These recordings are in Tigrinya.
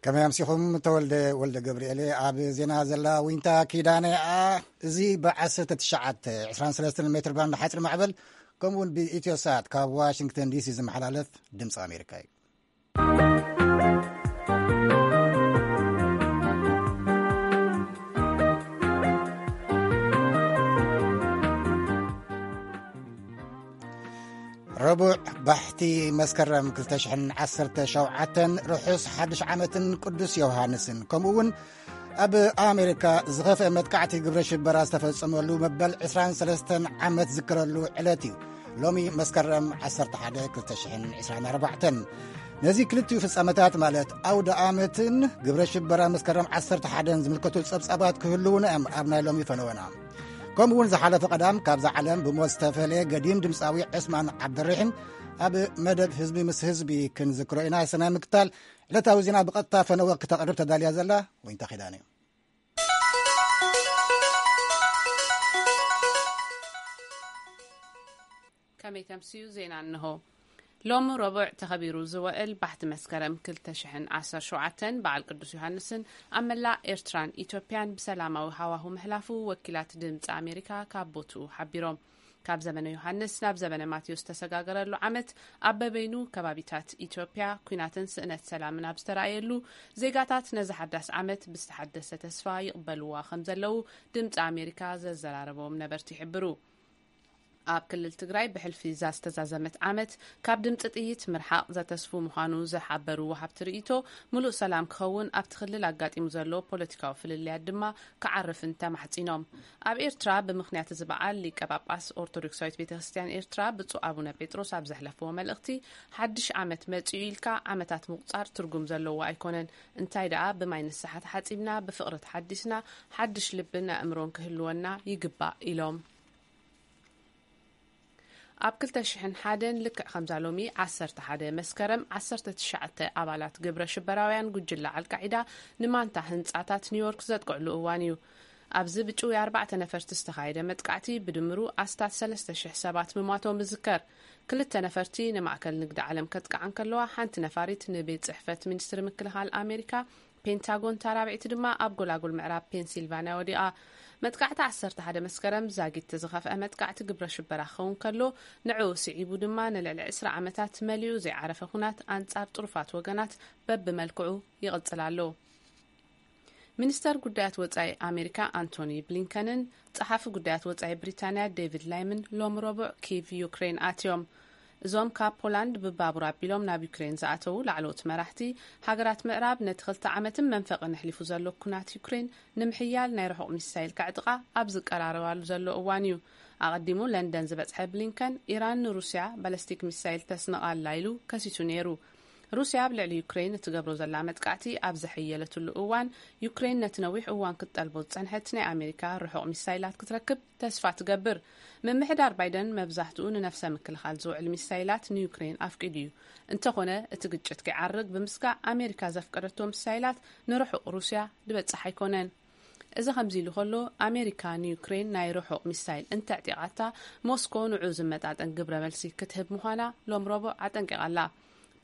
ከመይ ኣምሲኹም? ተወልደ ወልደ ገብርኤል ኣብ ዜና። ዘላ ዊንታ ኪዳነ። ኣ እዚ ብ19 23 ሜትር ባንድ ሓፂር ማዕበል፣ ከምኡውን ብኢትዮ ሳት ካብ ዋሽንግተን ዲሲ ዝመሓላለፍ ድምፂ ኣሜሪካ እዩ። ረቡዕ ባሕቲ መስከረም 2017፣ ርሑስ ሓድሽ ዓመትን ቅዱስ ዮሃንስን፣ ከምኡ እውን ኣብ ኣሜሪካ ዝኸፍአ መጥቃዕቲ ግብረ ሽበራ ዝተፈጸመሉ መበል 23 ዓመት ዝክረሉ ዕለት እዩ። ሎሚ መስከረም 11 2024። ነዚ ክልቲኡ ፍጻመታት፣ ማለት ኣውደ ዓመትን ግብረ ሽበራ መስከረም 11ን ዝምልከቱ ጸብጻባት ክህልዉና እዮም ኣብ ናይ ሎሚ ፈነወና። ከምኡ እውን ዝሓለፈ ቀዳም ካብዛ ዓለም ብሞት ዝተፈለየ ገዲም ድምፃዊ ዕስማን ዓብደርሒም ኣብ መደብ ህዝቢ ምስ ህዝቢ ክንዝክሮ ኢና። ሰናይ ምክታል። ዕለታዊ ዜና ብቐጥታ ፈነወ ክተቕርብ ተዳልያ ዘላ ወይንታ ኪዳነ እዩ። ከመይ ተምስዩ ዜና እንሆ። ሎሚ ረቡዕ ተኸቢሩ ዝውዕል ባሕቲ መስከረም 2017 በዓል ቅዱስ ዮሃንስን ኣብ መላእ ኤርትራን ኢትዮጵያን ብሰላማዊ ሃዋሁ ምሕላፉ ወኪላት ድምፂ ኣሜሪካ ካብ ቦትኡ ሓቢሮም። ካብ ዘመነ ዮሃንስ ናብ ዘመነ ማቴዎስ ዝተሰጋገረሉ ዓመት ኣብ በበይኑ ከባቢታት ኢትዮጵያ ኲናትን ስእነት ሰላምን ኣብ ዝተረኣየሉ፣ ዜጋታት ነዚ ሓዳስ ዓመት ብዝተሓደሰ ተስፋ ይቕበልዋ ከም ዘለዉ ድምፂ ኣሜሪካ ዘዘራረቦም ነበርቲ ይሕብሩ። ኣብ ክልል ትግራይ ብሕልፊ እዛ ዝተዛዘመት ዓመት ካብ ድምፂ ጥይት ምርሓቕ ዘተስፉ ምዃኑ ዝሓበሩ ወሃብቲ ርእይቶ፣ ምሉእ ሰላም ክኸውን ኣብቲ ክልል ኣጋጢሙ ዘሎ ፖለቲካዊ ፍልልያት ድማ ክዓርፍን ተማሕጺኖም። ኣብ ኤርትራ ብምኽንያት እዚ በዓል ሊቀ ጳጳስ ኦርቶዶክሳዊት ቤተ ክርስቲያን ኤርትራ ብፁዕ ኣቡነ ጴጥሮስ ኣብ ዘሕለፍዎ መልእኽቲ፣ ሓድሽ ዓመት መጺኡ ኢልካ ዓመታት ምቑጻር ትርጉም ዘለዎ ኣይኮነን። እንታይ ደኣ ብማይ ንስሓ ተሓጺብና፣ ብፍቕሪ ተሓዲስና፣ ሓድሽ ልብን ኣእምሮን ክህልወና ይግባእ ኢሎም። ኣብ 2001 ልክዕ ከምዛ ሎሚ 11 መስከረም 19 ኣባላት ግብረ ሽበራውያን ጉጅለ ኣልቃዒዳ ንማንታ ህንጻታት ኒውዮርክ ዘጥቅዕሉ እዋን እዩ። ኣብዚ ብጭውያ ኣርባዕተ ነፈርቲ ዝተኻየደ መጥቃዕቲ ብድምሩ ኣስታት 3,000 ሰባት ምሟቶም ይዝከር። ክልተ ነፈርቲ ንማእከል ንግዲ ዓለም ከጥቅዓ እንከለዋ፣ ሓንቲ ነፋሪት ንቤት ጽሕፈት ሚኒስትሪ ምክልኻል ኣሜሪካ ፔንታጎን፣ እታ ራብዒቲ ድማ ኣብ ጎላጉል ምዕራብ ፔንሲልቫንያ ወዲቓ። መጥቃዕቲ 11 መስከረም ዛጊት ዝኸፍአ መጥቃዕቲ ግብረ ሽበራ ክኸውን ከሎ፣ ንዕኡ ስዒቡ ድማ ንልዕሊ 20 ዓመታት መሊኡ ዘይዓረፈ ኹናት ኣንጻር ጥሩፋት ወገናት በብመልክዑ ይቕጽል ኣሎ። ሚኒስተር ጉዳያት ወጻኢ ኣሜሪካ ኣንቶኒ ብሊንከንን ጸሓፊ ጉዳያት ወጻኢ ብሪታንያ ዴቪድ ላይምን ሎም ረቡዕ ኪቭ ዩክሬን ኣትዮም። እዞም ካብ ፖላንድ ብባቡር ኣቢሎም ናብ ዩክሬን ዝኣተዉ ላዕለዎት መራሕቲ፣ ሃገራት ምዕራብ ነቲ ክልተ ዓመትን መንፈቕን ኣሕሊፉ ዘሎ ኩናት ዩክሬን ንምሕያል ናይ ርሑቕ ሚሳይል ከዕጥቓ ኣብ ዝቀራረባሉ ዘሎ እዋን እዩ። ኣቐዲሙ ለንደን ዝበጽሐ ብሊንከን፣ ኢራን ንሩስያ ባለስቲክ ሚሳይል ተስንቕ ኣላ ኢሉ ከሲሱ ነይሩ። ሩስያ ኣብ ልዕሊ ዩክሬን እትገብሮ ዘላ መጥቃዕቲ ኣብ ዘሐየለትሉ እዋን፣ ዩክሬን ነቲ ነዊሕ እዋን ክትጠልቦ ዝጸንሐት ናይ ኣሜሪካ ርሑቕ ሚሳይላት ክትረክብ ተስፋ ትገብር። ምምሕዳር ባይደን መብዛሕትኡ ንነፍሰ ምክልኻል ዝውዕል ሚሳይላት ንዩክሬን ኣፍቂዱ እዩ። እንተኾነ፣ እቲ ግጭት ከይዓርግ ብምስጋእ ኣሜሪካ ዘፍቀደቶ ሚሳይላት ንርሑቕ ሩስያ ዝበጽሕ ኣይኮነን። እዚ ከምዚ ኢሉ ከሎ፣ ኣሜሪካ ንዩክሬን ናይ ርሑቕ ሚሳይል እንተዕጢቓታ፣ ሞስኮ ንዑ ዝመጣጠን ግብረ መልሲ ክትህብ ምዃና ሎም ረቡዕ ኣጠንቂቓ ኣላ።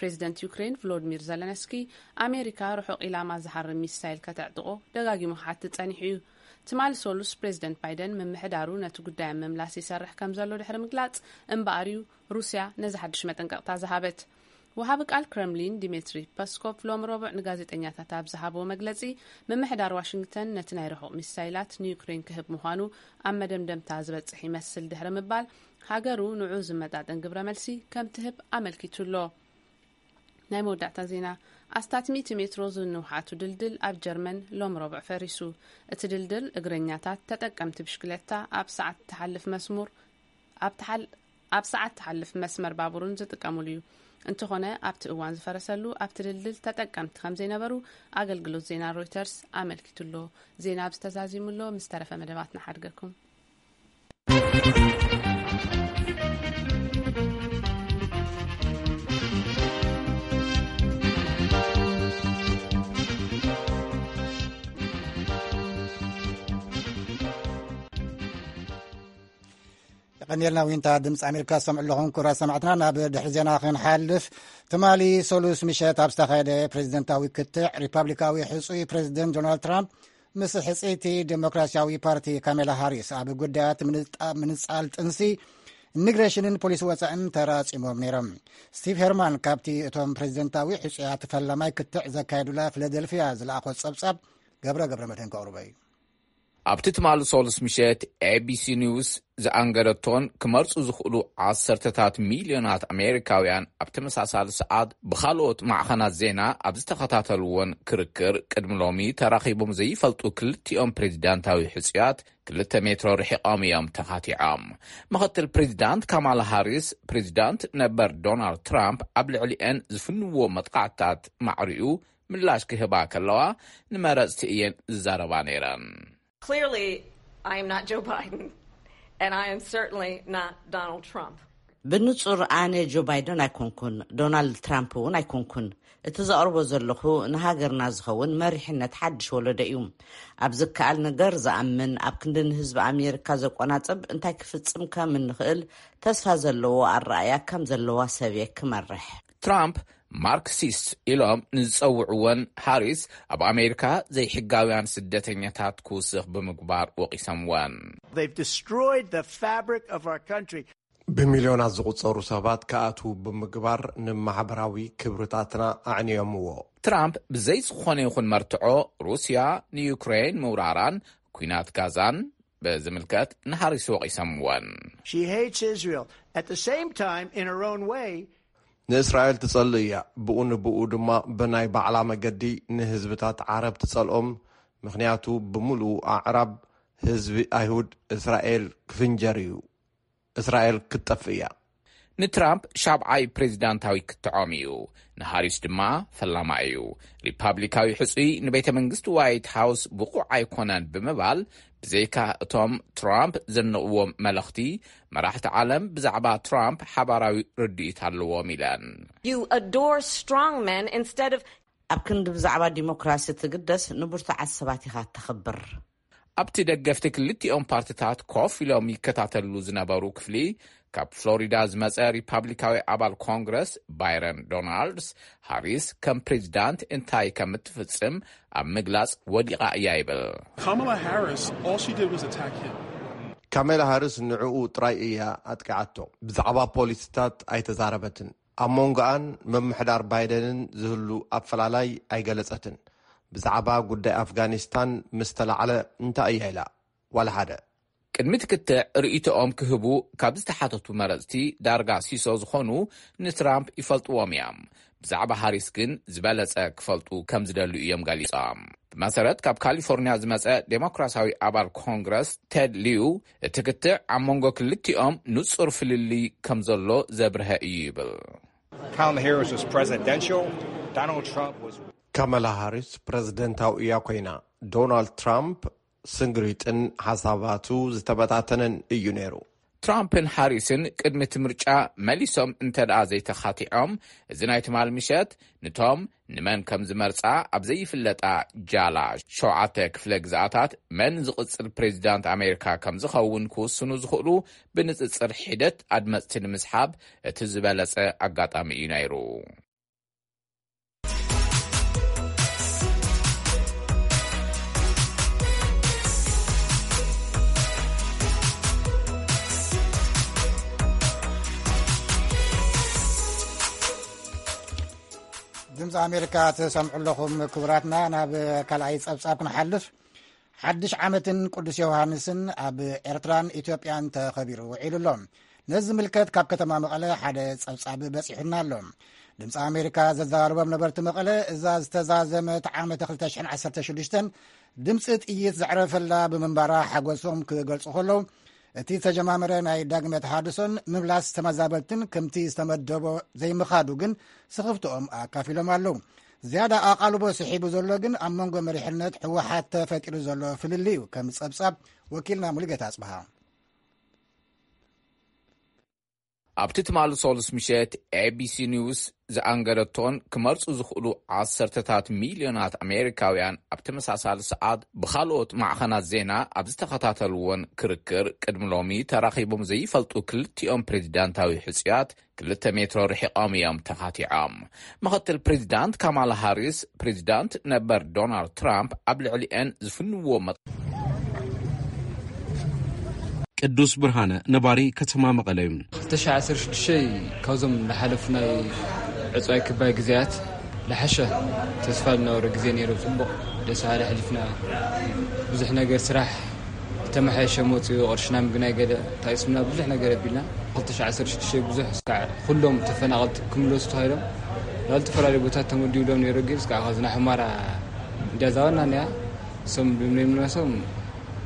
ፕሬዚደንት ዩክሬን ቭሎዲሚር ዘለንስኪ፣ ኣሜሪካ ርሑቕ ኢላማ ዝሃርም ሚሳይል ከተዕጥቖ ደጋጊሙ ክሓትት ጸኒሑ እዩ። ትማሊ ሰሉስ ፕሬዚደንት ባይደን ምምሕዳሩ ነቲ ጉዳይ ኣብ ምምላስ ይሰርሕ ከም ዘሎ ድሕሪ ምግላጽ እምበኣር እዩ ሩስያ ነዚ ሓድሽ መጠንቀቕታ ዝሃበት። ወሃቢ ቃል ክረምሊን ዲሜትሪ ፐስኮቭ ሎም ረቡዕ ንጋዜጠኛታት ኣብ ዝሃብዎ መግለጺ፣ ምምሕዳር ዋሽንግተን ነቲ ናይ ርሑቕ ሚሳይላት ንዩክሬን ክህብ ምዃኑ ኣብ መደምደምታ ዝበጽሕ ይመስል ድሕሪ ምባል፣ ሃገሩ ንዑ ዝመጣጠን ግብረ መልሲ ከም ትህብ ኣመልኪቱ ኣሎ። ናይ መወዳእታ ዜና። ኣስታት 100 ሜትሮ ዝንውሓቱ ድልድል ኣብ ጀርመን ሎም ረቡዕ ፈሪሱ። እቲ ድልድል እግረኛታት፣ ተጠቀምቲ ብሽክለታ ኣብ ሰዓት ትሓልፍ መስሙር፣ ኣብ ትሓል-፣ ኣብ ሰዓት ትሓልፍ መስመር ባቡርን ዝጥቀሙሉ እዩ። እንተኾነ፣ ኣብቲ እዋን ዝፈረሰሉ ኣብቲ ድልድል ተጠቀምቲ ከም ዘይነበሩ ኣገልግሎት ዜና ሮይተርስ ኣመልኪቱ ኣሎ። ዜና ኣብዚ ተዛዚሙ ኣሎ። ምስ ተረፈ መደባትና ሓድገኩም። ቀኒልና ዊንታ ድምፂ ኣሜሪካ ዝሰምዑ ኣለኹም። ክቡራት ሰማዕትና፣ ናብ ድሕሪ ዜና ክንሓልፍ፣ ትማሊ ሰሉስ ምሸት ኣብ ዝተኻየደ ፕሬዚደንታዊ ክትዕ፣ ሪፓብሊካዊ ሕፁይ ፕሬዚደንት ዶናልድ ትራምፕ ምስ ሕፅይቲ ዴሞክራሲያዊ ፓርቲ ካሜላ ሃሪስ ኣብ ጉዳያት ምንጣ- ምንፃል ጥንሲ፣ ኢሚግሬሽንን ፖሊሲ ወፃእን ተራፂሞም ነይሮም። ስቲቭ ሄርማን ካብቲ እቶም ፕሬዚደንታዊ ሕፁያት ፈላማይ ክትዕ ዘካየዱላ ፊላደልፊያ ዝለኣኾ ፀብፃብ ገብረ ገብረ መድህን ከቕርቦ እዩ። ኣብቲ ትማሊ ሶሉስ ምሸት ኤቢሲ ኒውስ ዝኣንገደቶን ክመርፁ ዝኽእሉ ዓሰርተታት ሚልዮናት ኣሜሪካውያን ኣብ ተመሳሳሊ ሰዓት ብኻልኦት ማዕኸናት ዜና ኣብ ዝተኸታተልዎን ክርክር፣ ቅድሚ ሎሚ ተራኺቦም ዘይፈልጡ ክልቲኦም ፕሬዚዳንታዊ ሕፁያት ክልተ ሜትሮ ርሒቖም እዮም ተኻቲዖም። ምኽትል ፕሬዚዳንት ካማላ ሃሪስ፣ ፕሬዚዳንት ነበር ዶናልድ ትራምፕ ኣብ ልዕሊኤን ዝፍንዎ መጥቃዕትታት ማዕሪኡ ምላሽ ክህባ ከለዋ፣ ንመረፅቲ እየን ዝዛረባ ነይረን። Clearly, I am not Joe Biden, and I am certainly not Donald Trump. ብንጹር ኣነ ጆ ባይደን ኣይኮንኩን፣ ዶናልድ ትራምፕ እውን ኣይኮንኩን። እቲ ዘቕርቦ ዘለኹ ንሃገርና ዝኸውን መሪሕነት ሓድሽ ወለዶ እዩ። ኣብ ዝከኣል ነገር ዝኣምን፣ ኣብ ክንዲ ንህዝቢ ኣሜሪካ ዘቆናጽብ እንታይ ክፍጽም ከም እንኽእል ተስፋ ዘለዎ ኣረኣያ ከም ዘለዋ ሰብ እየ ክመርሕ። ትራምፕ ማርክሲስት ኢሎም ንዝጸውዕወን ሃሪስ ኣብ ኣሜሪካ ዘይሕጋውያን ስደተኛታት ክውስኽ ብምግባር ወቒሶምወን። They've destroyed the fabric of our country. ብሚልዮናት ዝቑጸሩ ሰባት ክኣትዉ ብምግባር ንማሕበራዊ ክብርታትና ኣዕንዮምዎ። ትራምፕ ብዘይ ዝኾነ ይኹን መርትዖ ሩስያ ንዩክሬን ምውራራን ኲናት ጋዛን ብዝምልከት ንሃሪስ ወቒሶምወን። She hates Israel. At the same time, in her own way, ንእስራኤል ትጸልእ እያ። ብኡ ንብኡ ድማ ብናይ ባዕላ መገዲ ንህዝብታት ዓረብ ትጸልኦም። ምኽንያቱ ብምሉኡ ኣዕራብ ህዝቢ ኣይሁድ እስራኤል ክፍንጀር እዩ። እስራኤል ክትጠፍእ እያ። ንትራምፕ ሻብዓይ ፕሬዚዳንታዊ ክትዖም እዩ። ንሃሪስ ድማ ፈላማ እዩ። ሪፓብሊካዊ ሕጹይ ንቤተ መንግስቲ ዋይት ሃውስ ብቑዕ ኣይኮነን ብምባል፣ ብዘይካ እቶም ትራምፕ ዘንቕዎም መለኽቲ፣ መራሕቲ ዓለም ብዛዕባ ትራምፕ ሓባራዊ ርድኢት ኣለዎም ኢለን። You adore strong men instead of ኣብ ክንዲ ብዛዕባ ዲሞክራሲ ትግደስ ንብርቱዓት ሰባት ኢኻ ተኽብር። ኣብቲ ደገፍቲ ክልቲኦም ፓርቲታት ኮፍ ኢሎም ይከታተሉ ዝነበሩ ክፍሊ፣ ካብ ፍሎሪዳ ዝመጸ ሪፓብሊካዊ ኣባል ኮንግረስ ባይረን ዶናልድስ፣ ሃሪስ ከም ፕሬዚዳንት እንታይ ከም እትፍጽም ኣብ ምግላጽ ወዲቓ እያ ይብል። Kamala Harris, all she did was attack him. ካሜላ ሃሪስ ንዕኡ ጥራይ እያ ኣጥቂዓቶ። ብዛዕባ ፖሊሲታት ኣይተዛረበትን። ኣብ መንጎኣን ምምሕዳር ባይደንን ዝህሉ ኣፈላላይ ኣይገለጸትን። ብዛዕባ ጉዳይ ኣፍጋኒስታን ምስ ተላዕለ እንታይ እያ ኢላ? ዋላ ሓደ። ቅድሚ እቲ ክትዕ ርእይቶኦም ክህቡ ካብ ዝተሓተቱ መረጽቲ ዳርጋ ሲሶ ዝኾኑ ንትራምፕ ይፈልጥዎም እዮም። ብዛዕባ ሃሪስ ግን ዝበለጸ ክፈልጡ ከም ዝደልዩ እዮም ገሊጾም። ብመሰረት ካብ ካሊፎርኒያ ዝመጸ ዴሞክራሲያዊ ኣባል ኮንግረስ ቴድ ሊዩ፣ እቲ ክትዕ ኣብ መንጎ ክልቲኦም ንጹር ፍልልይ ከም ዘሎ ዘብርሀ እዩ ይብል። Kamala Harris was presidential. Donald Trump was ካመላ ሃሪስ ፕረዚደንታዊ እያ ኮይና። ዶናልድ ትራምፕ ስንግሪጥን ሓሳባቱ ዝተበታተነን እዩ ነይሩ። ትራምፕን ሃሪስን ቅድሚ እቲ ምርጫ መሊሶም እንተ ደኣ ዘይተኻቲዖም፣ እዚ ናይ ትማል ምሸት ንቶም ንመን ከም ዝመርጻ ኣብ ዘይፍለጣ ጃላ ሸውዓተ ክፍለ ግዝኣታት መን ዝቕጽል ፕሬዚዳንት ኣሜሪካ ከም ዝኸውን ክውስኑ ዝኽእሉ ብንጽጽር ሒደት ኣድመጽቲ ንምስሓብ እቲ ዝበለጸ ኣጋጣሚ እዩ ነይሩ። ድምፂ ኣሜሪካ ትሰምዑ ኣለኹም ክቡራትና። ናብ ካልኣይ ፀብፃብ ክንሓልፍ። ሓድሽ ዓመትን ቅዱስ ዮሃንስን ኣብ ኤርትራን ኢትዮጵያን ተኸቢሩ ውዒሉ ኣሎ። ነዚ ዝምልከት ካብ ከተማ መቐለ ሓደ ጸብጻብ በጺሑና ኣሎ። ድምፂ ኣሜሪካ ዘዘራረቦም ነበርቲ መቐለ፣ እዛ ዝተዛዘመት ዓመተ ክልተ ሽሕን ዓሰርተ ሽዱሽተን ድምፂ ጥይት ዘዕረፈላ ብምንባራ ሓጎሶም ክገልጹ ከለዉ፣ እቲ ዝተጀማመረ ናይ ዳግመ ተሃድሶን ምምላስ ተመዛበልትን ከምቲ ዝተመደቦ ዘይምኻዱ ግን ስኽፍትኦም ኣካፊሎም ኣለዉ። ዝያዳ ኣቓልቦ ስሒቡ ዘሎ ግን ኣብ መንጎ መሪሕነት ህወሓት ተፈጢሩ ዘሎ ፍልልይ እዩ። ከም ጸብጻብ ወኪልና ሙሉጌታ ኣጽብሃ። ኣብቲ ትማሊ ሶሉስ ምሸት ኤቢሲ ኒውስ ዝኣንገደቶን ክመርጹ ዝኽእሉ ዓሰርተታት ሚልዮናት ኣሜሪካውያን ኣብ ተመሳሳሊ ሰዓት ብኻልኦት ማዕኸናት ዜና ኣብ ዝተኸታተልዎን ክርክር፣ ቅድሚ ሎሚ ተራኺቦም ዘይፈልጡ ክልቲኦም ፕሬዚዳንታዊ ሕጹያት ክልተ ሜትሮ ርሒቖም እዮም ተኻቲዖም። ምኽትል ፕሬዚዳንት ካማላ ሃሪስ፣ ፕሬዚዳንት ነበር ዶናልድ ትራምፕ ኣብ ልዕሊአን ዝፍንዎ መጥ- ቅዱስ ብርሃነ ነባሪ ከተማ መቐለ እዩ። ክልተ ሽሕ ዓሰርተ ሽዱሽተ ካብዞም ዝሓለፉ ናይ ዕፅዋይ ክባይ ግዜያት ዝሓሸ ተስፋ ዝነበሮ ግዜ ነይሩ። ፅቡቕ ደስ በሃሊ ኣሕሊፍና። ብዙሕ ነገር ስራሕ ተመሓየሸ መፅኡ፣ ቅርሽና ምግናይ ገለ ታይስምና ብዙሕ ነገር ኣቢልና። ክልተ ሽሕ ዓሰርተ ሽዱሽተ ብዙሕ እስካዕ ኩሎም ተፈናቐልቲ ክምለሱ ተባሂሎም ናብ ዝተፈላለዩ ቦታት ተመዲብሎም ነይሩ። ግን እስካዕ ካብዚ ናይ ሑመራ እንዲያ ዛዋና እኒኣ እሶም ብምንሶም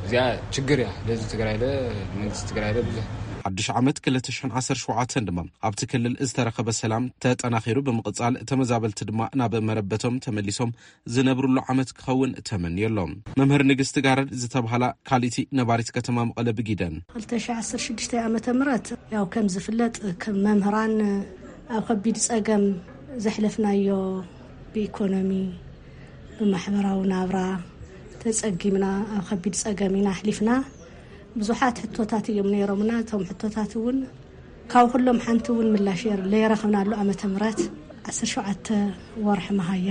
እዚኣ ችግር እያ። ለዚ ትግራይ ለ መንግስቲ ትግራይ ለ ብዙሕ ሓድሽ ዓመት ክልተ ሽሕን ዓሰርተ ሸውዓተን ድማ ኣብቲ ክልል ዝተረኸበ ሰላም ተጠናኺሩ ብምቕጻል፣ ተመዛበልቲ ድማ ናብ መረበቶም ተመሊሶም ዝነብሩሉ ዓመት ክኸውን ተመንዮ ኣሎ። መምህር ንግስቲ ጋረድ ዝተባህላ ካልእቲ ነባሪት ከተማ መቐለ ብጊደን። ክልተ ሽሕ ዓሰርተ ሽዱሽተ ዓመተ ምህረት ያው ከም ዝፍለጥ ከም መምህራን ኣብ ከቢድ ጸገም ዘሕለፍናዮ ብኢኮኖሚ ብማሕበራዊ ናብራ ተጸጊምና ኣብ ከቢድ ጸገም ኢና ኣሕሊፍና። ብዙሓት ሕቶታት እዮም ነይሮምና። እቶም ሕቶታት እውን ካብ ኩሎም ሓንቲ እውን ምላሽ የር-፣ ለይረኸብናሉ ዓመተ ምህረት ዓሰርተ ሸውዓተ ወርሒ መሃያ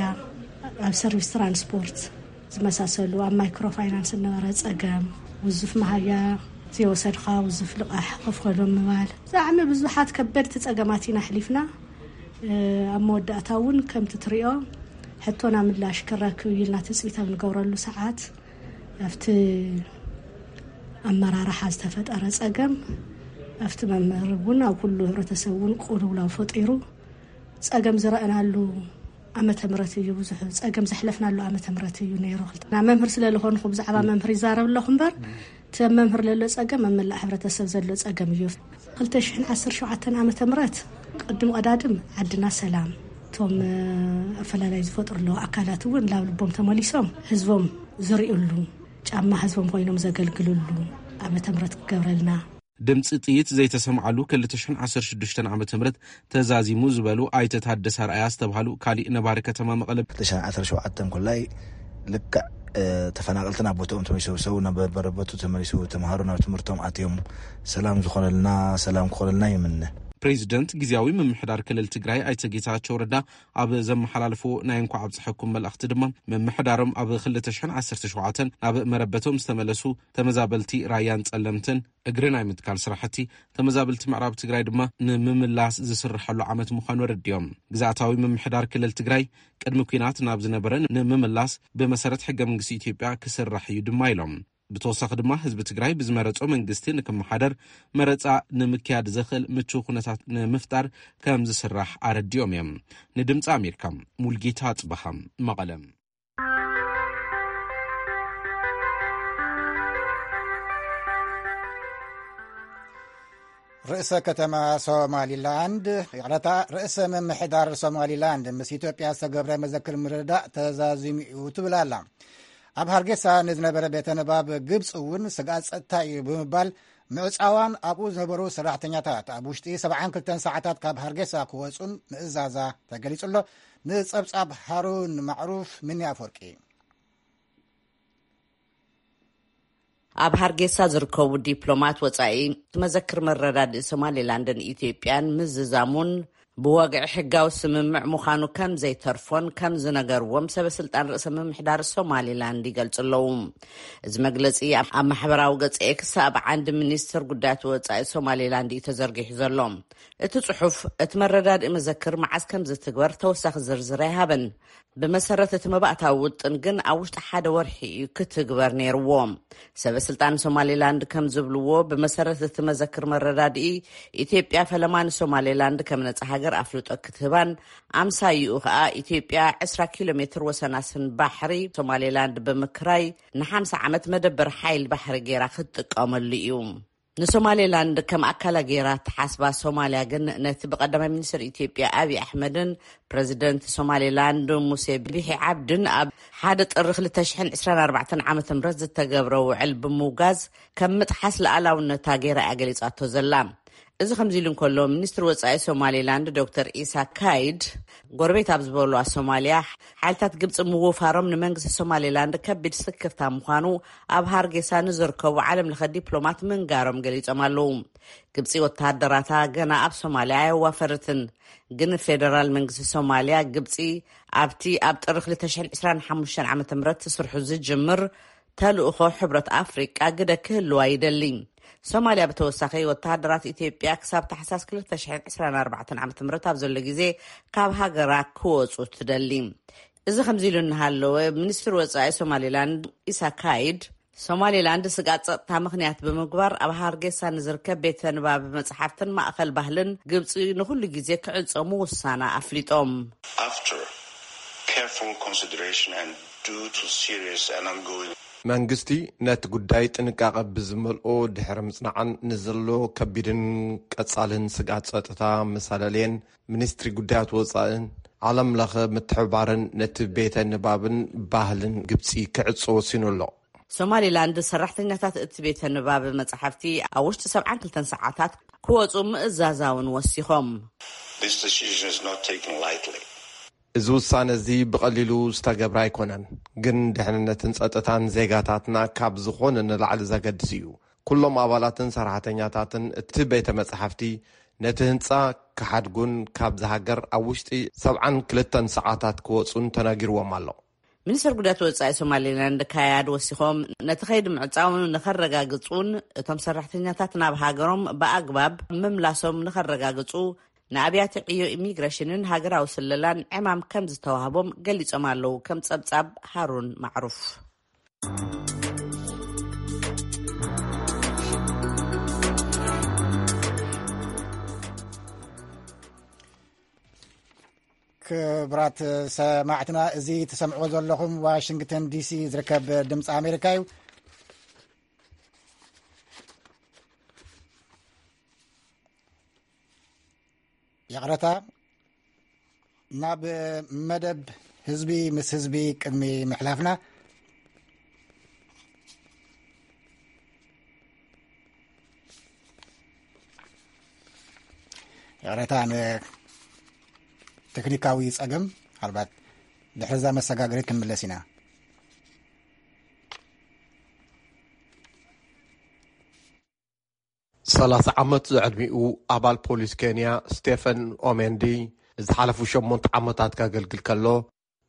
ኣብ ሰርቪስ ትራንስፖርት ዝመሳሰሉ ኣብ ማይክሮ ፋይናንስ ዝነበረ ጸገም፣ ውዙፍ መሃያ ዘይወሰድኻ ውዙፍ ልቓሕ ክፍከሎም ምባል፣ ብጣዕሚ ብዙሓት ከበድቲ ጸገማት ኢና ኣሕሊፍና። እ፣ ኣብ መወዳእታ እውን ከምቲ ትሪኦ ሕቶና ምላሽ ክረክብ እዩ ኢልና ትጽቢት ኣብ ንገብረሉ ሰዓት ኣብቲ ኣመራርሓ ዝተፈጠረ ጸገም ኣብቲ መምህር እውን ኣብ ኩሉ ሕብረተሰብ እውን ቅልውላው ፈጢሩ ጸገም ዝረኣናሉ ዓመተ ምህረት እዩ። ብዙሕ ጸገም ዘሕለፍናሉ ዓመተ ምህረት እዩ ነይሩ። ክልተ መምህር ስለ ዝኾንኩ ብዛዕባ መምህር ይዛረብ ኣለኹ እምበር እቲ መምህር ለሎ ጸገም ኣብ መላእ ሕብረተሰብ ዘሎ ጸገም እዩ። ክልተ ሽሕን ዓሰርተ ሸውዓተን ዓመተ ምህረት ቅድም ቀዳድም ዓድና ሰላም፣ እቶም ኣፈላላይ ዝፈጥሩ ኣለዉ ኣካላት እውን ናብ ልቦም ተመሊሶም ህዝቦም ዝርእዩሉ፣ ጫማ ህዝቦም ኮይኖም ዘገልግልሉ ዓመተ ምህረት ክገብረልና። ድምፂ ጥይት ዘይተሰምዓሉ ክልተ ሽሕን ዓሰርተ ሽዱሽተን ዓመተ ምህረት ተዛዚሙ ዝበሉ ኣይተ ታደሰ ኣርኣያ ዝተባሃሉ ካሊእ ነባሪ ከተማ መቐለ። ክልተ ሽሕን ዓሰርተ ሸውዓተን ኮላይ ልክዕ፣ እ፣ ተፈናቐልቲ ናብ ቦታኦም ተመሊሶም፣ ሰብ ናብ መረበቱ ተመሊሱ፣ ተምሃሮ ናብ ትምህርቶም ኣትዮም፣ ሰላም ዝኾነልና፣ ሰላም ክኾነልና ይምነ። ፕሬዚደንት ግዝያዊ ምምሕዳር ክልል ትግራይ ኣይተ ጌታቸው ረዳ ኣብ ዘመሓላልፎ ናይ እንኳዕ ኣብፀሐኩም መልእኽቲ ድማ፣ ምምሕዳሮም ኣብ ክልተ ሽሕን ዓሰርተ ሸውዓተን ናብ መረበቶም ዝተመለሱ ተመዛበልቲ ራያን ጸለምትን እግሪ ናይ ምትካል ስራሕቲ፣ ተመዛበልቲ ምዕራብ ትግራይ ድማ ንምምላስ ዝስርሐሉ ዓመት ምዃኑ ኣረዲኦም። ግዝኣታዊ ምምሕዳር ክልል ትግራይ ቅድሚ ኲናት ናብ ዝነበረ ንምምላስ ብመሰረት ሕገ መንግስቲ ኢትዮጵያ ክስራሕ እዩ ድማ ኢሎም። ብተወሳኺ ድማ ህዝቢ ትግራይ ብዝመረጾ መንግስቲ ንክመሓደር መረጻ ንምክያድ ዘኽእል ምቹው ኩነታት ንምፍጣር ከም ዝስራሕ ኣረዲኦም እዮም። ንድምፂ ኣሜሪካ ሙልጌታ ኣጽበሃ፣ መቐለ። ርእሰ ከተማ ሶማሊላንድ፣ ይቕረታ፣ ርእሰ ምምሕዳር ሶማሊላንድ ምስ ኢትዮጵያ ዝተገብረ መዘክር ምርድዳእ ተዛዚሙ እዩ ትብል ኣላ። ኣብ ሃርጌሳ ንዝነበረ ቤተ ንባብ ግብፂ እውን ስግኣት ጸጥታ እዩ ብምባል ምዕጻዋን ኣብኡ ዝነበሩ ሰራሕተኛታት ኣብ ውሽጢ ሰብዓን ክልተን ሰዓታት ካብ ሃርጌሳ ክወጹን ምእዛዛ ተገሊጹ ኣሎ። ንጸብጻብ ሃሩን ማዕሩፍ፣ ምኒ ኣፈወርቂ። ኣብ ሃርጌሳ ዝርከቡ ዲፕሎማት ወጻኢ፣ እቲ መዘክር መረዳድኢ ሶማሌላንድን ኢትዮጵያን ምዝዛሙን ብወግዒ ሕጋዊ ስምምዕ ምዃኑ ከም ዘይተርፎን ከም ዝነገርዎም ሰበ ስልጣን ርእሰ ምምሕዳር ሶማሌላንድ ይገልጹ ኣለዉ። እዚ መግለጺ ኣብ፣ ኣብ ማሕበራዊ ገጽ ኤክስ ኣብ ዓንዲ ሚኒስትር ጉዳያት ወጻኢ ሶማሌላንድ እዩ ተዘርጊሑ ዘሎ። እቲ ጽሑፍ፣ እቲ መረዳድኢ መዘክር መዓስ ከም ዝትግበር ተወሳኺ ዝርዝር ኣይሃበን። ብመሰረት እቲ መባእታዊ ውጥን ግን ኣብ ውሽጢ ሓደ ወርሒ እዩ ክትግበር ነይርዎ። ሰበ ስልጣን ሶማሌላንድ ከም ዝብልዎ፣ ብመሰረት እቲ መዘክር መረዳድኢ፣ ኢትዮጵያ ፈለማ ንሶማሌላንድ ከም ነጻ ሃገር ኣፍልጦ ክትህባን፣ ኣምሳይኡ ከኣ ኢትዮጵያ ዕስራ ኪሎ ሜትር ወሰናስን ባሕሪ ሶማሌላንድ ብምክራይ ንሓምሳ ዓመት መደበር ሓይሊ ባሕሪ ገይራ ክትጥቀመሉ እዩ። ንሶማሌላንድ ከም ኣካላ ገይራ እትሓስባ ሶማልያ ግን፣ ነቲ ብቀዳማይ ሚኒስትር ኢትዮጵያ ኣብይ ኣሕመድን ፕረዚደንት ሶማሌላንድ ሙሴ ቢሒ ዓብድን ኣብ ሓደ ጥሪ ክልተ ሽሕን ዕስራን ኣርባዕተን ዓመተ ምህረት ዝተገብረ ውዕል ብምውጋዝ፣ ከም ምጥሓስ ሉዓላውነታ ገይራ እያ ገሊጻቶ ዘላ። እዚ ከምዚ ኢሉ እንከሎ፣ ሚኒስትሪ ወጻኢ ሶማሌላንድ ዶክተር ኢሳ ካይድ፣ ጎረቤት ኣብ ዝበሉዋ ሶማልያ ሓይልታት ግብጺ ምውፋሮም ንመንግስቲ ሶማሌላንድ ከቢድ ስክፍታ ምዃኑ ኣብ ሃርጌሳ ንዝርከቡ ዓለም ለኸ ዲፕሎማት ምንጋሮም ገሊጾም ኣለዉ። ግብጺ ወተሃደራታ ገና ኣብ ሶማልያ ኣየዋፈርትን። ግን ፌደራል መንግስቲ ሶማልያ፣ ግብጺ ኣብቲ ኣብ ጥሪ ክልተ ሽሕን ዕስራን ሓሙሽተን ዓመተ ምህረት ስርሑ ዝጅምር ተልእኾ ሕብረት ኣፍሪቃ ግደ ክህልዋ ይደሊ። ሶማልያ ብተወሳኺ ወተሃደራት ኢትዮጵያ ክሳብ ታሕሳስ ክልተ ሽሕን ዕስራን ኣርባዕተን ዓመተ ምህረት ኣብ ዘሎ ግዜ ካብ ሃገራ ክወጹ ትደሊ። እዚ ከምዚ ኢሉ እናሃለወ፣ ሚኒስትሪ ወጻኢ ሶማሌላንድ ኢሳ ካይድ፣ ሶማሌላንድ ስጋት ጸጥታ ምኽንያት ብምግባር ኣብ ሃርጌሳ ንዝርከብ ቤተ ንባብ መጽሓፍትን ማእኸል ባህልን ግብጺ ንኹሉ ግዜ ክዕጾ ምውሳና ኣፍሊጦም። After careful consideration and due to serious and ongoing መንግስቲ ነቲ ጉዳይ ጥንቃቐ ብዝመልኦ ድሕሪ ምጽናዕን ንዘሎ ከቢድን ቀጻልን ስግኣት ጸጥታ መሳለልየን፣ ሚኒስትሪ ጉዳያት ወጻእን ዓለም ለኸ ምትሕብባርን ነቲ ቤተ ንባብን ባህልን ግብጺ ክዕጾ ወሲኑ ኣሎ። ሶማሊላንድ ሰራሕተኛታት እቲ ቤተ ንባብ መጻሕፍቲ ኣብ ውሽጢ ሰብዓን ክልተን ሰዓታት ክወጹ ምእዛዛውን ወሲኾም። This decision is not taken lightly. እዚ ውሳነ እዚ ብቐሊሉ ዝተገብረ ኣይኮነን፣ ግን ድሕንነትን ጸጥታን ዜጋታትና ካብ ዝኾነ ንላዕሊ ዘገድስ እዩ። ኩሎም ኣባላትን ሰራሕተኛታትን እቲ ቤተ መጻሕፍቲ ነቲ ህንጻ ክሓድጉን ካብዚ ሃገር ኣብ ውሽጢ ሰብዓን ክልተን ሰዓታት ክወጹን ተነጊርዎም ኣሎ። ሚኒስትር ጉዳያት ወጻኢ ሶማሊላንድ ካያድ ወሲኾም፣ ነቲ ኸይዲ ምዕጻው ንኸረጋግጹን እቶም ሰራሕተኛታት ናብ ሃገሮም ብኣግባብ ምምላሶም ንኸረጋግጹ ንኣብያተ ዕዮ ኢሚግሬሽንን ሃገራዊ ስለላን ዕማም ከም ዝተዋህቦም ገሊጾም ኣለዉ። ከም ጸብጻብ ሃሩን ማዕሩፍ። ክብራት ሰማዕትና፣ እዚ ትሰምዕዎ ዘለኹም ዋሽንግተን ዲሲ ዝርከብ ድምፂ ኣሜሪካ እዩ። ይቕረታ፣ ናብ መደብ ህዝቢ ምስ ህዝቢ ቅድሚ ምሕላፍና፣ ይቕረታ፣ ንቴክኒካዊ ጸገም፣ ምናልባት ድሕሪ እዛ መሰጋገሪት ክንምለስ ኢና። ሰላሳ ዓመት ዝዕድሚኡ ኣባል ፖሊስ ኬንያ ስቴፈን ኦሜንዲ፣ ዝሓለፉ ሸሞንተ ዓመታት ከገልግል ከሎ፣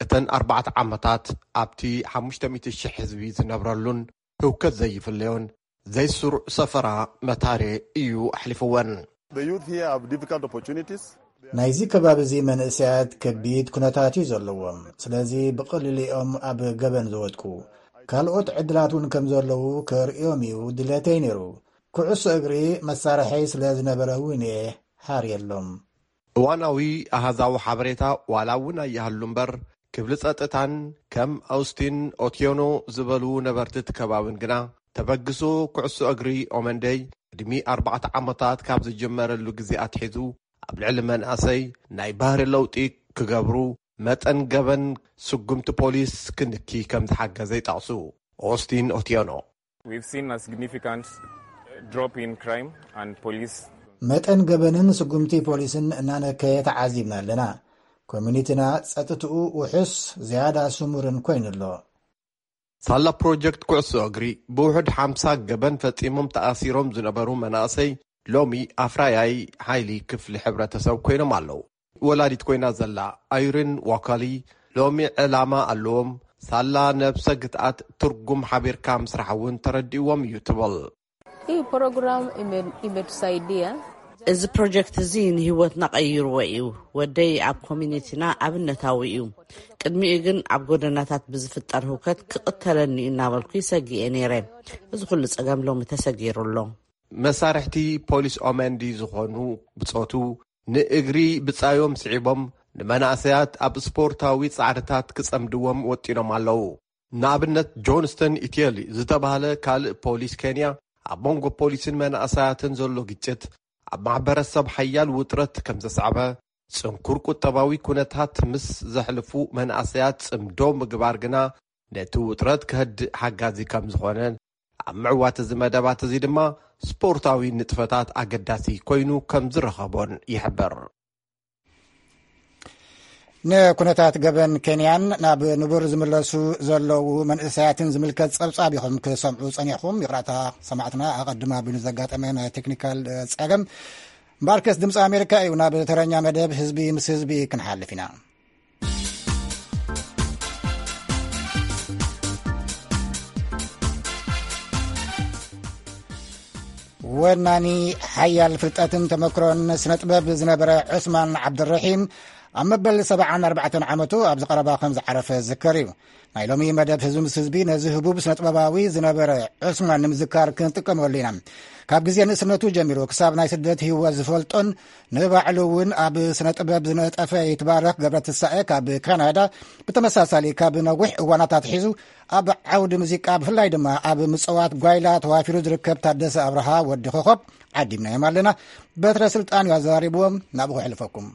እተን ኣርባዕተ ዓመታት ኣብቲ ሓሙሽተ ሚእቲ ሽሕ ህዝቢ ዝነብረሉን ህውከት ዘይፍለዮን ዘይስሩዕ ሰፈራ መታሬ እዩ ኣሕሊፍወን። The youth here have difficult opportunities. ናይዚ ከባቢ እዚ መንእሰያት ከቢድ ኩነታት እዩ ዘለዎም። ስለዚ ብቐሊሉ እዮም ኣብ ገበን ዝወድቁ። ካልኦት ዕድላት እውን ከም ዘለዉ ከርእዮም እዩ ድሌተይ ነይሩ። ኩዕሶ እግሪ መሳርሐይ ስለ ዝነበረ እውን እየ ሓርየሎም። እዋናዊ ኣሃዛዊ ሓበሬታ ዋላ እውን ኣይሃሉ እምበር፣ ክፍሊ ጸጥታን ከም ኣውስቲን ኦትዮኖ ዝበሉ ነበርቲ እቲ ከባብን ግና፣ ተበግሶ ኩዕሶ እግሪ ኦመንደይ ቅድሚ ኣርባዕተ ዓመታት ካብ ዝጀመረሉ ግዜ ኣትሒዙ፣ ኣብ ልዕሊ መናእሰይ ናይ ባህሪ ለውጢ ክገብሩ፣ መጠን ገበን ስጉምቲ ፖሊስ ክንኪ ከም ዝሓገዘ ይጠቕሱ። ኦስቲን ኦትዮኖ። We've seen a significant drop in crime and police. መጠን ገበንን ስጉምቲ ፖሊስን እናነከየ ተዓዚብና ኣለና። ኮሚኒቲና ጸጥትኡ ውሑስ ዝያዳ ስሙርን ኮይኑ ኣሎ። ሳላ ፕሮጀክት ኩዕሶ እግሪ ብውሑድ ሓምሳ ገበን ፈጺሞም ተኣሲሮም ዝነበሩ መናእሰይ ሎሚ ኣፍራያይ ሓይሊ ክፍሊ ሕብረተሰብ ኮይኖም ኣለዉ። ወላዲት ኮይና ዘላ ኣይሪን ዋካሊ ሎሚ ዕላማ ኣለዎም። ሳላ ነብሰ ግትኣት ትርጉም ሓቢርካ ምስራሕ እውን ተረዲእዎም እዩ ትብል። Hii program ime- imetusaidia. እዚ ፕሮጀክት እዚ ንህይወትና ቀይርዎ እዩ። ወደይ ኣብ ኮሚኒቲና ኣብነታዊ እዩ። ቅድሚኡ ግን ኣብ ጎደናታት ብዝፍጠር ህውከት ክቕተለኒ እዩ እናበልኩ ይሰግእ እየ ነይረ። እዚ ኩሉ ጸገም ሎሚ ተሰጊሩ ኣሎ። መሳርሕቲ ፖሊስ ኦመንዲ ዝኾኑ ብጾቱ ንእግሪ ብጻዮም ስዒቦም ንመናእሰያት ኣብ ስፖርታዊ ጻዕርታት ክጸምድዎም ወጢኖም ኣለዉ። ንኣብነት ጆንስተን ኢትየሊ ዝተባህለ ካልእ ፖሊስ ኬንያ ኣብ መንጎ ፖሊስን መናእሰያትን ዘሎ ግጭት ኣብ ማሕበረሰብ ሓያል ውጥረት ከም ዘስዓበ፣ ጽንኩር ቁጠባዊ ኩነታት ምስ ዘሕልፉ መናእሰያት ጽምዶ ምግባር ግና ነቲ ውጥረት ከህድእ ሓጋዚ ከም ዝኾነ ኣብ ምዕዋት እዚ መደባት እዚ ድማ ስፖርታዊ ንጥፈታት ኣገዳሲ ኮይኑ ከም ዝረኸቦን ይሕበር። ንኩነታት ገበን ኬንያን ናብ ንቡር ዝምለሱ ዘለዉ መንእሰያትን ዝምልከት ጸብጻብ ኢኹም ክሰምዑ ጸኒሕኹም። ይቕራታ ሰማዕትና፣ ኣቐድም ኣቢሉ ዘጋጠመ ናይ ቴክኒካል ጸገም እምበኣርከስ ድምፂ ኣሜሪካ እዩ። ናብ ተረኛ መደብ ህዝቢ ምስ ህዝቢ ክንሓልፍ ኢና። ወናኒ ሓያል ፍልጠትን ተመክሮን ስነ ጥበብ ዝነበረ ዑስማን ዓብደረሒም ኣብ መበል ሰብዓን ኣርባዕተን ዓመቱ ኣብዚ ቀረባ ከም ዝዓረፈ ዝዝከር እዩ። ናይ ሎሚ መደብ ህዝቢ ምስ ህዝቢ ነዚ ህቡብ ስነ ጥበባዊ ዝነበረ ዑስማን ንምዝካር ክንጥቀመሉ ኢና። ካብ ግዜ ንእስነቱ ጀሚሩ ክሳብ ናይ ስደት ህይወት ዝፈልጦን ንባዕሉ እውን ኣብ ስነ ጥበብ ዝነጠፈ ይትባረኽ ገብረ ትንሳኤ ካብ ካናዳ ብተመሳሳሊ ካብ ነዊሕ እዋናት ኣትሒዙ ኣብ ዓውዲ ሙዚቃ ብፍላይ ድማ ኣብ ምጽዋት ጓይላ ተዋፊሩ ዝርከብ ታደሰ ኣብርሃ ወዲ ኮኾብ ዓዲምናዮም ኣለና። በትረ ስልጣን እዩ ኣዘራሪብዎም። ናብኡ ክሕልፈኩም።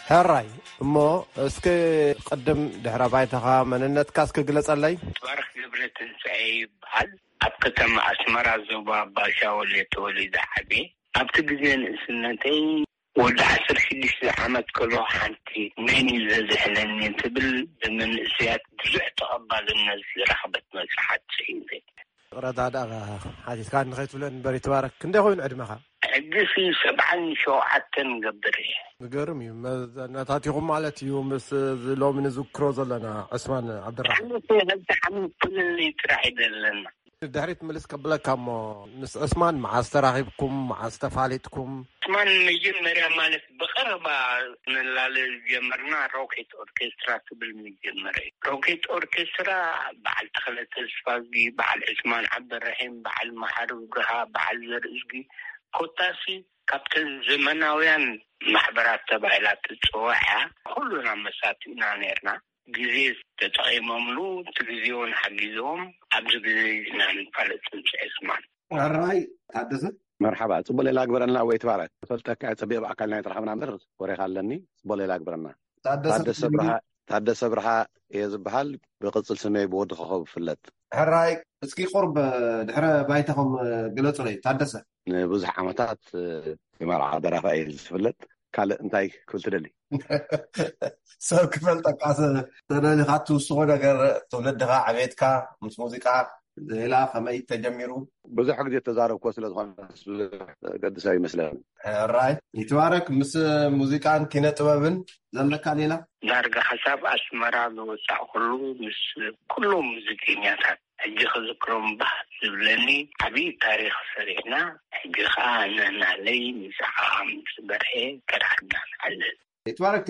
ሕራይ እሞ እስኪ ቅድም ድሕረ ባይታኻ መንነትካ እስኪ ግለጸለይ። ትባረኽ ገብረ ትንሳኤ ይበሃል። ኣብ ከተማ ኣስመራ ዞባ ባሻወል ተወሊደ ዓብየ። ኣብቲ ግዜ ንእስነተይ ወዲ ዓሰርተ ሽዱሽተ ዓመት ከሎ ሓንቲ መን እዩ ዘዝሕለኒ ትብል ብመንእሰያት ብዙሕ ተቐባልነት ዝረኸበት መጽሓፍ ጽሒፈ። ረዳድኣ ሓቲትካ ንኸይትብለን እምበር ይትባረክ። ክንደይ ኮይኑ ዕድመኻ? ሕጂሲ ሰብዓን ሸውዓተን ገብር እየ። ዝገርም እዩ። መዘናታቲኹም ማለት እዩ ምስ እዚ ሎሚ ንዝክሮ ዘለና ዕስማን ዓብድራሕማን። ሓንቲ ሓንቲ ዓመት ፍልልይ ጥራሕ እዩ ዘለና። ድሕሪት ምልስ ከብለካ እሞ፣ ምስ ዕስማን መዓስ ተራኺብኩም? መዓስ ተፋሊጥኩም? ዕስማን መጀመርያ ማለት ብቐረባ ንላለ ዝጀመርና ሮኬት ኦርኬስትራ ትብል መጀመርያ እዩ። ሮኬት ኦርኬስትራ በዓል ተኽለ ተስፋዝጊ፣ በዓል ዕስማን ዓብደረሒም፣ በዓል መሓሪ ብርሃ፣ በዓል ዘርእዝጊ፣ ኮታሲ ካብተን ዘመናውያን ማሕበራት ተባሂላ ትጽዋዕ እያ። ኩሉና መሳቲና ነርና። ግዜ ተጠቒሞምሉ፣ እቲ ግዜ እውን ሓጊዝዎም፣ ኣብዚ ግዜ ኢና ንፋለጥ ንስዕስማን። ሕራይ ታደሰ። መርሓባ፣ ጽቡቕ ሌላ ግበረልና ወይ ትባረክ። ፈልጠካ እየ፣ ጸቢቕ ብኣካል ናይ ተራኸብና እምበር ወሬኻ ኣለኒ። ጽቡቕ ሌላ ግበረልና። ታደሰ ታደሰ ተጀሚሩ። ብርሃ፣ ታደሰ ብርሃ እየ ዝበሃል፣ ብቕጽል ስመይ ብወዲ ኮኸብ እፍለጥ። ሕራይ፣ እስኪ ቁርብ ድሕረ ባይታኹም ግለጹለይ። ታደሰ። ንብዙሕ ዓመታት ብመርዓ ደራፋይ እየ ዝፍለጥ። ካልእ እንታይ ክብል ትደሊ? ሰብ ክፈልጠካ ስ-፣ ተደሊኻ ትውስኾ ነገር፣ ትውልድኻ፣ ዕቤትካ ምስ ሙዚቃ ሌላ ከመይ ተጀሚሩ? ብዙሕ ግዜ ተዛረብኮ ስለ ዝኾነ ብዙሕ ገድሰ ይመስለኒ። ሕራይ ይትባረክ። ምስ ሙዚቃን ኪነ ጥበብን ዘለካ ሌላ? ዳርጋ ክሳብ ኣስመራ ዝወጻእኩሉ ምስ ኩሎም ሙዚቀኛታት ሕጂ ክዝክሮም ባህ ዝብለኒ ዓብዪ ታሪኽ ሰሪሕና። ሕጂ ኸኣ ነናለይ ምስ ዓም ምስ በርሄ ተራኺብና ንዓልል። ይትባረክ።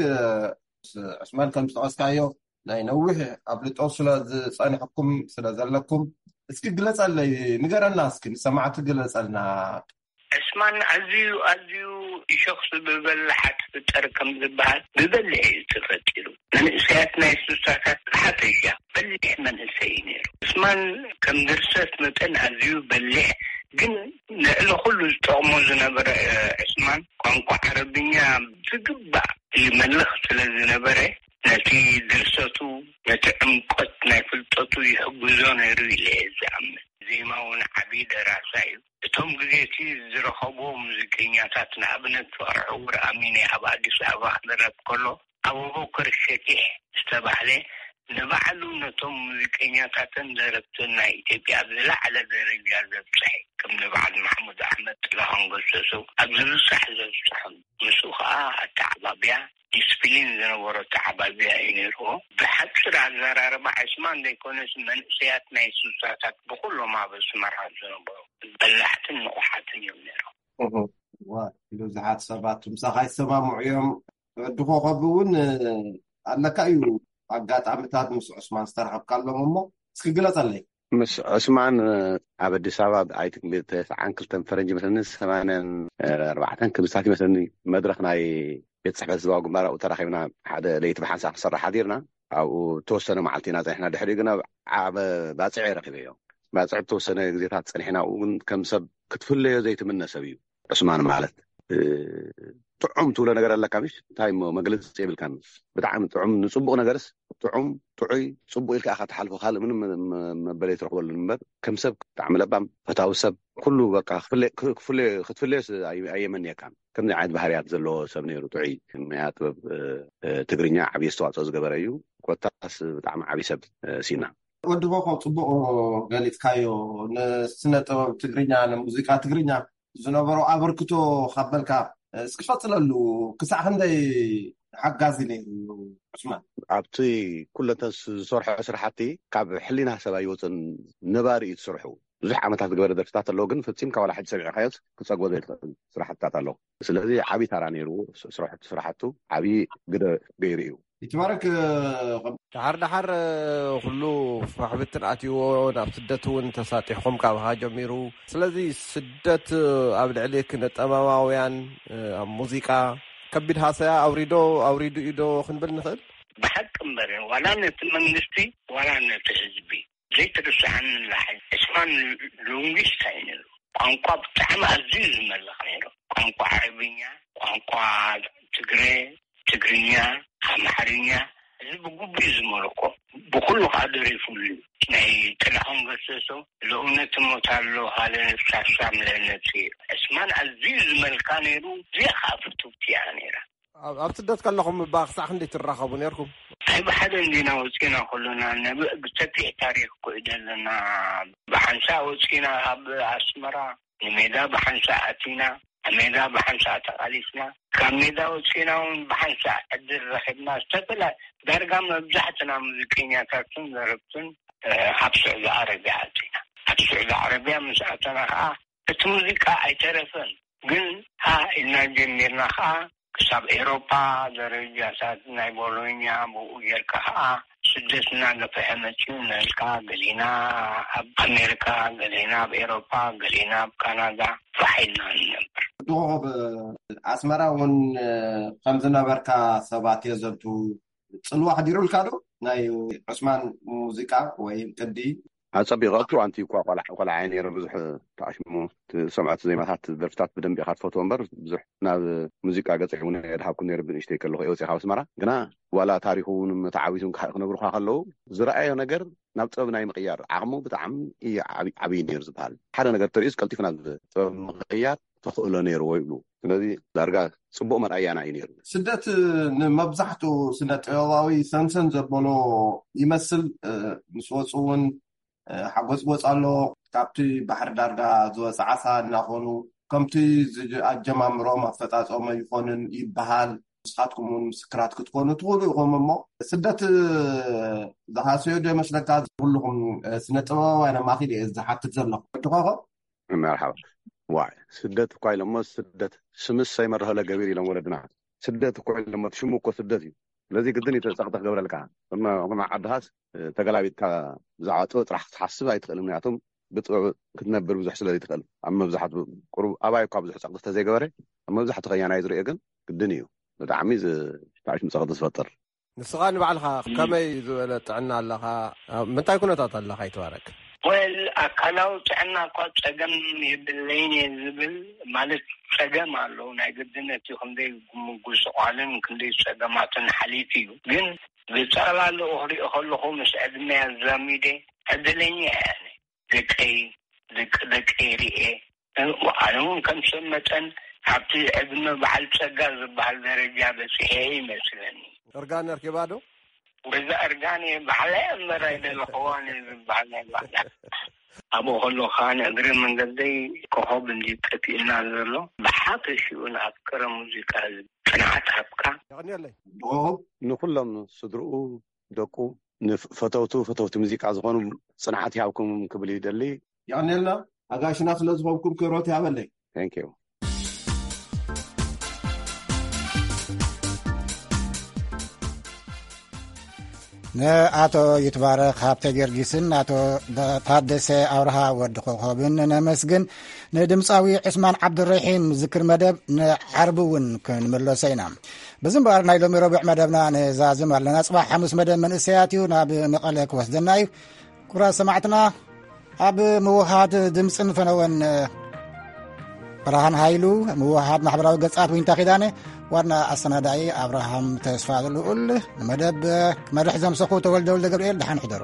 ዑስማን ከም ዝጠቐስካዮ ናይ ነዊሕ ኣፍልጦ ስለ ዝጸንሐኩም ስለ ዘለኩም እስኪ ግለጸለይ፣ ንገረና እስኪ ንሰማዕቲ ግለጸልና። ዕስማን ኣዝዩ ኣዝዩ እሾኽ ዝበለ ሓጥፍጠር ከም ዝበሃል ብበሊሕ እዩ ተፈጢሩ። መንእሰያት ናይ ስሳታት ብሓፈሻ በሊሕ መንእሰይ እዩ ነይሩ። ዕስማን ከም ድርሰት መጠን ኣዝዩ በሊሕ፣ ግን ንዕሊ ኩሉ ዝጠቕሞ ዝነበረ ዕስማን ቋንቋ ዓረብኛ ዝግባእ ይመልኽ ስለ ዝነበረ ነቲ ድርሰቱ ነቲ ዕምቆት ናይ ፍልጠቱ ይሕግዞ ነይሩ ኢለ እየ ዝኣምን። ዜማ እውን ዓብዪ ደራሳ እዩ። እቶም ግዜ እቲ ዝረኸብዎ ሙዚቀኛታት ንኣብነት ፍቕረ ዕውር ኣሚነ ኣብ ኣዲስ ኣበባ ክደረፍ ከሎ ኣቡበከር ሸኪሕ ዝተባህለ ንባዕሉ ነቶም ሙዚቀኛታትን ደረፍትን ናይ ኢትዮጵያ ኣብ ዝለዓለ ደረጃ ዘብፅሐ ከም ንበዓል ማሕሙድ ኣሕመድ ጥላሁን ገሰሱ ኣብ ዝብፃሕ ዘብፅሖም ምስኡ ከዓ ኣተዓባብያ ዲስፕሊን ዝነበሮ ኣተዓባብያ እዩ ነይርዎ። ብሓፂር ኣዘራርባ ዕስማን ዘይኮነስ መንእሰያት ናይ ሱሳታት ብኩሎም ኣብ ኣስመራ ዝነበሩ በላሕትን ንቑሓትን እዮም ነይሮም። እዋ፣ ብዙሓት ሰባት ምሳኻ ይሰማምዑ እዮም። ወዲ ኮኸብ እውን ኣለካ እዩ ኣጋጣሚታት ምስ ዑስማን ዝተረኸብካሎም እሞ እስኪ ግለጸለይ። ምስ ዑስማን ኣብ ኣዲስ ኣበባ ኣብ ኣይትክል ተስዓን ክልተን ፈረንጂ መስለኒ ሰማንያን ኣርባዕተን ክምሳት ይመስለኒ መድረኽ ናይ ቤት ጽሕፈት ህዝባዊ ግንባር ኣብኡ ተራኺብና ሓደ ለይቲ ብሓንሳእ ክንሰርሕ ሓዲርና ኣብኡ ተወሰነ መዓልቲ ኢና ጸኒሕና። ድሕሪኡ ግን ኣብ ዓበ ባጽዕ ረኺበዮ። ባጽዕ ተወሰነ ግዜታት ጸኒሕና ኣብኡ ግን ከም ሰብ ክትፍለዮ ዘይትምነ ሰብ እዩ። ዑስማን ማለት እ፣ ጥዑም ትብሎ ነገር ኣለካ፣ ምሽ እንታይ እሞ መግለፂ የብልካን። ብጣዕሚ ጥዑም፣ ንፅቡቕ ነገርስ ጥዑም፣ ጥዑይ፣ ፅቡቕ ኢልካ ኢኻ ትሓልፎ። ካልእ ምንም መ- መበለይ ትረኽበሉ እምበር፣ ከም ሰብ ብጣዕሚ ለባም፣ ፈታዊ ሰብ፣ ኩሉ በቃ ክፍለ- ክፍለ- ክትፍለዮስ ኣይ- ኣየመንየካን። ከምዚ ዓይነት ባህርያት ዘለዎ ሰብ ነይሩ፣ ጥዑይ። መያ ጥበብ እ፣ እ፣ ትግርኛ ዓብዪ ኣስተዋፅኦ ዝገበረ እዩ። ኮታስ ብጣዕሚ ዓብዪ ሰብ እ፣ ሲና። ወዲ ኮኾብ፣ ፅቡቕ ገሊፅካዮ። ንስነ ጥበብ ትግርኛ፣ ንሙዚቃ ትግርኛ ዝነበሮ ኣበርክቶ ካብ በልካ፣ እስኪ ቀፅለሉ። ክሳዕ ክንደይ ሓጋዚ ነይሩ ዑስማን? ኣብቲ ኩለንተን ዝሰርሖ ስራሕቲ ካብ ሕሊና ሰብ ኣይወፅን፣ ነባሪ እዩ ዝሰርሑ። ብዙሕ ዓመታት ዝገበረ ደርፍታት ኣለዎ፣ ግን ፈፂምካ ዋላ ሕጂ ሰሚዕካዮስ ክፀግቦ ዘይትኽእል ስራሕትታት ኣለዎ። ስለዚ ዓብዪ ታራ ነይሩ፣ ስራሕቱ ስራሕቱ ዓብዪ ግደ ገይሩ እዩ። ይትባረክ። ደሓር ደሓር ኩሉ ፋሕብትን ኣትይዎ ናብ ስደት እውን ተሳጢሕኩም ካብኻ ጀሚሩ። ስለዚ ስደት ኣብ ልዕሊ ክነጠባባውያን ኣብ ሙዚቃ ከቢድ ሃሰያ ኣውሪዶ ኣውሪዱ እዩ ዶ ክንብል ንኽእል? ብሓቂ እምበር፣ ዋላ ነቲ መንግስቲ ዋላ ነቲ ህዝቢ ዘይትርስዓኒ ላሕይ። እስማን ሉንጊስታ እዩ ነይሩ። ቋንቋ ብጣዕሚ ኣዝዩ ዝመልኽ ነይሩ። ቋንቋ ዓረብኛ፣ ቋንቋ ትግረ፣ ትግርኛ፣ ኣምሓርኛ፣ እዚ ብግቡእ እዩ ዝመልኮ። ብኩሉ ከዓ ደሪፉሉ እዩ። ናይ ጥላሁን ገሰሶ ለእውነት እሞት ኣሎ ሃለ ሳሳም ለነፍሲ። እስማን ኣዝዩ ዝመልካ ነይሩ። እዚኣ ከዓ ፍትውቲ እያ ነይራ። ኣብ ኣብ ስደት ከለኹም እባ ክሳዕ ክንደይ ትራኸቡ ነርኩም? ኣይ ብሓደ እንዲና ወፂና ኩሉና፣ ነብእ ብሰፊሕ ታሪክ እኮ እዩ ዘለና። ብሓንሳእ ወፂና ካብ ኣስመራ ንሜዳ ብሓንሳእ ኣቲና፣ ኣብ ሜዳ ብሓንሳእ ተቓሊስና፣ ካብ ሜዳ ወፂና እውን ብሓንሳእ ዕድል ረኺብና። ዝተፈላ ዳርጋ መብዛሕትና ሙዚቀኛታትን ዘረብትን ኣብ ስዑዲ ዓረብያ ኣቲና። ኣብ ስዑዲ ዓረብያ ምስ ኣተና ከዓ እቲ ሙዚቃ ኣይተረፈን፣ ግን ሃ ኢልና ጀሚርና ከዓ ክሳብ ኤሮፓ ደረጃታት ናይ ቦሎኛ፣ ብኡ ጌርካ ከዓ ስደትና ገፍሐ መፅኡ እናልካ፣ ገሊና ኣብ ኣሜሪካ፣ ገሊና ኣብ ኤሮፓ፣ ገሊና ኣብ ካናዳ ፋሕ ኢልና ንነብር። ዶብ ኣስመራ እውን ከም ዝነበርካ ሰባት የዘንቱ። ፅልዋ ኣሕዲሩልካ ዶ ናይ ዑስማን ሙዚቃ ወይ ቅዲ? ኣጸቢቑ ኣብቲ እዋንቲ እኳ ቆልዓ ቆልዓ እየ ነይረ። ብዙሕ ተኣሽሙ ትሰምዖ፣ እቲ ዜማታት፣ ደርፍታት ብደንቢ ኢኻ ትፈትዎ እምበር፣ ብዙሕ ናብ ሙዚቃ ገጸይ እውን ኣይድሃብኩን ነይረ። ብንእሽተይ ከለኹ እየ ወጺኣ ካብ ኣስመራ። ግና ዋላ ታሪኹ እውን መተዓቢቱ እውን ክነግሩኻ ከለዉ፣ ዝረኣዮ ነገር ናብ ጥበብ ናይ ምቕያር ዓቕሙ ብጣዕሚ እዩ ዓቢ- ዓብዪ ነይሩ ዝበሃል። ሓደ ነገር ተርእዩስ ቀልጢፉ ናብ ጥበብ ምቕያር ተኽእሎ ነይርዎ ይብሉ። ስለዚ ዳርጋ ጽቡቕ መርኣያና እዩ ነይሩ። ስደት ንመብዛሕትኡ ስነ ጥበባዊ ሰንሰን ዘበሎ ይመስል። እ፣ ምስ ወፁ እውን፣ እ፣ ሓጎጽጎጽ ኣሎ። ካብቲ ባሕሪ ዳርጋ ዝወፀ ዓሳ እናኾኑ፣ ከምቲ ዝጅ- ኣጀማምሮም ኣፈጻጸሞ ይኾንን ይበሃል። ንስኻትኩም እውን ምስክራት ክትኮኑ ትኽእሉ ኢኹም። እሞ ስደት ዝሃሰዮ ዶ ይመስለካ? ኩልኹም፣ እ፣ ስነ ጥበባውያን ኣማኺል እየ ዝሓትት ዘለኹ። ወዲ ኮኾብ? መርሓባ። ዋይ፣ ስደት እኳ ኢሎሞ፣ ስደት ስምስ ሰይመርሀለ ገቢር ኢሎም ወለድና። ስደት እኮ ኢሎሞ፣ እቲ ሽሙ እኮ ስደት እዩ። ስለዚ ግድን እዩ ጸቕጢ ክገብረልካ። እሞ ዓድኻስ ተገላቢጥካ ብዛዕባ ጥበብ ጥራሕ ክትሓስብ ኣይትኽእልን። ምክንያቱም ብጥበብ ክትነብር ብዙሕ ስለ ዘይትኽእል። ኣብ መብዛሕትኡ ቁሩብ ኣባይ እኳ ብዙሕ ጸቕጢ ተዘይገበረ፣ ኣብ መብዛሕትኡ ከያናይ ዝርእዮ ግን ግድን እዩ። ብጣዕሚ ዝ- ታሪክ ጸቕጢ ዝፈጥር። ንስኻ ንባዕልኻ ከመይ ዝበለ ጥዕና ኣለኻ? ኣብ ምንታይ ኩነታት ኣለኻ ይትባረክ? ወል ኣካላዊ ጥዕና እኳ ጸገም የብለይን እየ ዝብል፣ ማለት ጸገም ኣለዉ። ናይ ግድነት እዩ፣ ክንደይ ምጉስቋልን ክንደይ ጸገማትን ሓሊፉ እዩ። ግን ብጠቕላላኡ ክሪኦ ከለኹ ምስ ዕድመይ ኣዛሚደ ዕድለኛ እየ ኣነ። ደቀይ ደቂ ደቀይ ርኤ፣ ኣነ እውን ከም ሰብ መጠን ኣብቲ ዕድመ በዓል ጸጋ ዝበሃል ደረጃ በጺሐ ይመስለኒ። እርጋን ኣርኪባ ዶ? ገዛ እርጋን እየ ባዕለይ እምበር ኣይደለኽዋን እየ ዝበሃል ናይ ባዕላ። ኣብኡ ከለኹ ከዓ ንእግረ መንገደይ ኮኸብ እንዲ ጠፊእና ዘሎ ብሓፈሽኡ ንኣፍቀረ ሙዚቃ ጽንዓት ሃብካ። የቐንየለይ። ብኸኸብ ንኹሎም ስድርኡ፣ ደቁ፣ ንፈተውቱ ፈተውቲ ሙዚቃ ዝኾኑ ጽንዓት ይሃብኩም ክብል ይደሊ። የቐንየልና ኣጋሽና ስለ ዝኾንኩም ክብረት ይሃበለይ። Thank you። ንኣቶ ይትባረክ ሃብተ ጊዮርጊስን ኣቶ ታደሰ ኣብርሃ ወዲ ኮኾብን ነመስግን። ንድምፃዊ ዑስማን ዓብዱረሒም ዝክር መደብ ንዓርቢ እውን ክንምለሶ ኢና። በዚ እምበኣር ናይ ሎሚ ረቡዕ መደብና ንዛዝም ኣለና። ጽባሕ ሓሙስ መደብ መንእሰያት እዩ፣ ናብ መቐለ ክወስደና እዩ። ክቡራት ሰማዕትና፣ ኣብ ምውሃድ ድምፅን ፈነወን ብርሃን ሃይሉ፣ ምውሃድ ማሕበራዊ ገጻት ዊንታ ኪዳነ፣ ዋና ኣሰናዳኢ ኣብርሃም ተስፋ ልኡል፣ ንመደብ ክመርሕ ዘምሰኹ ተወልደ ወልደ ገብርኤል፣ ደሓን ሕደሩ።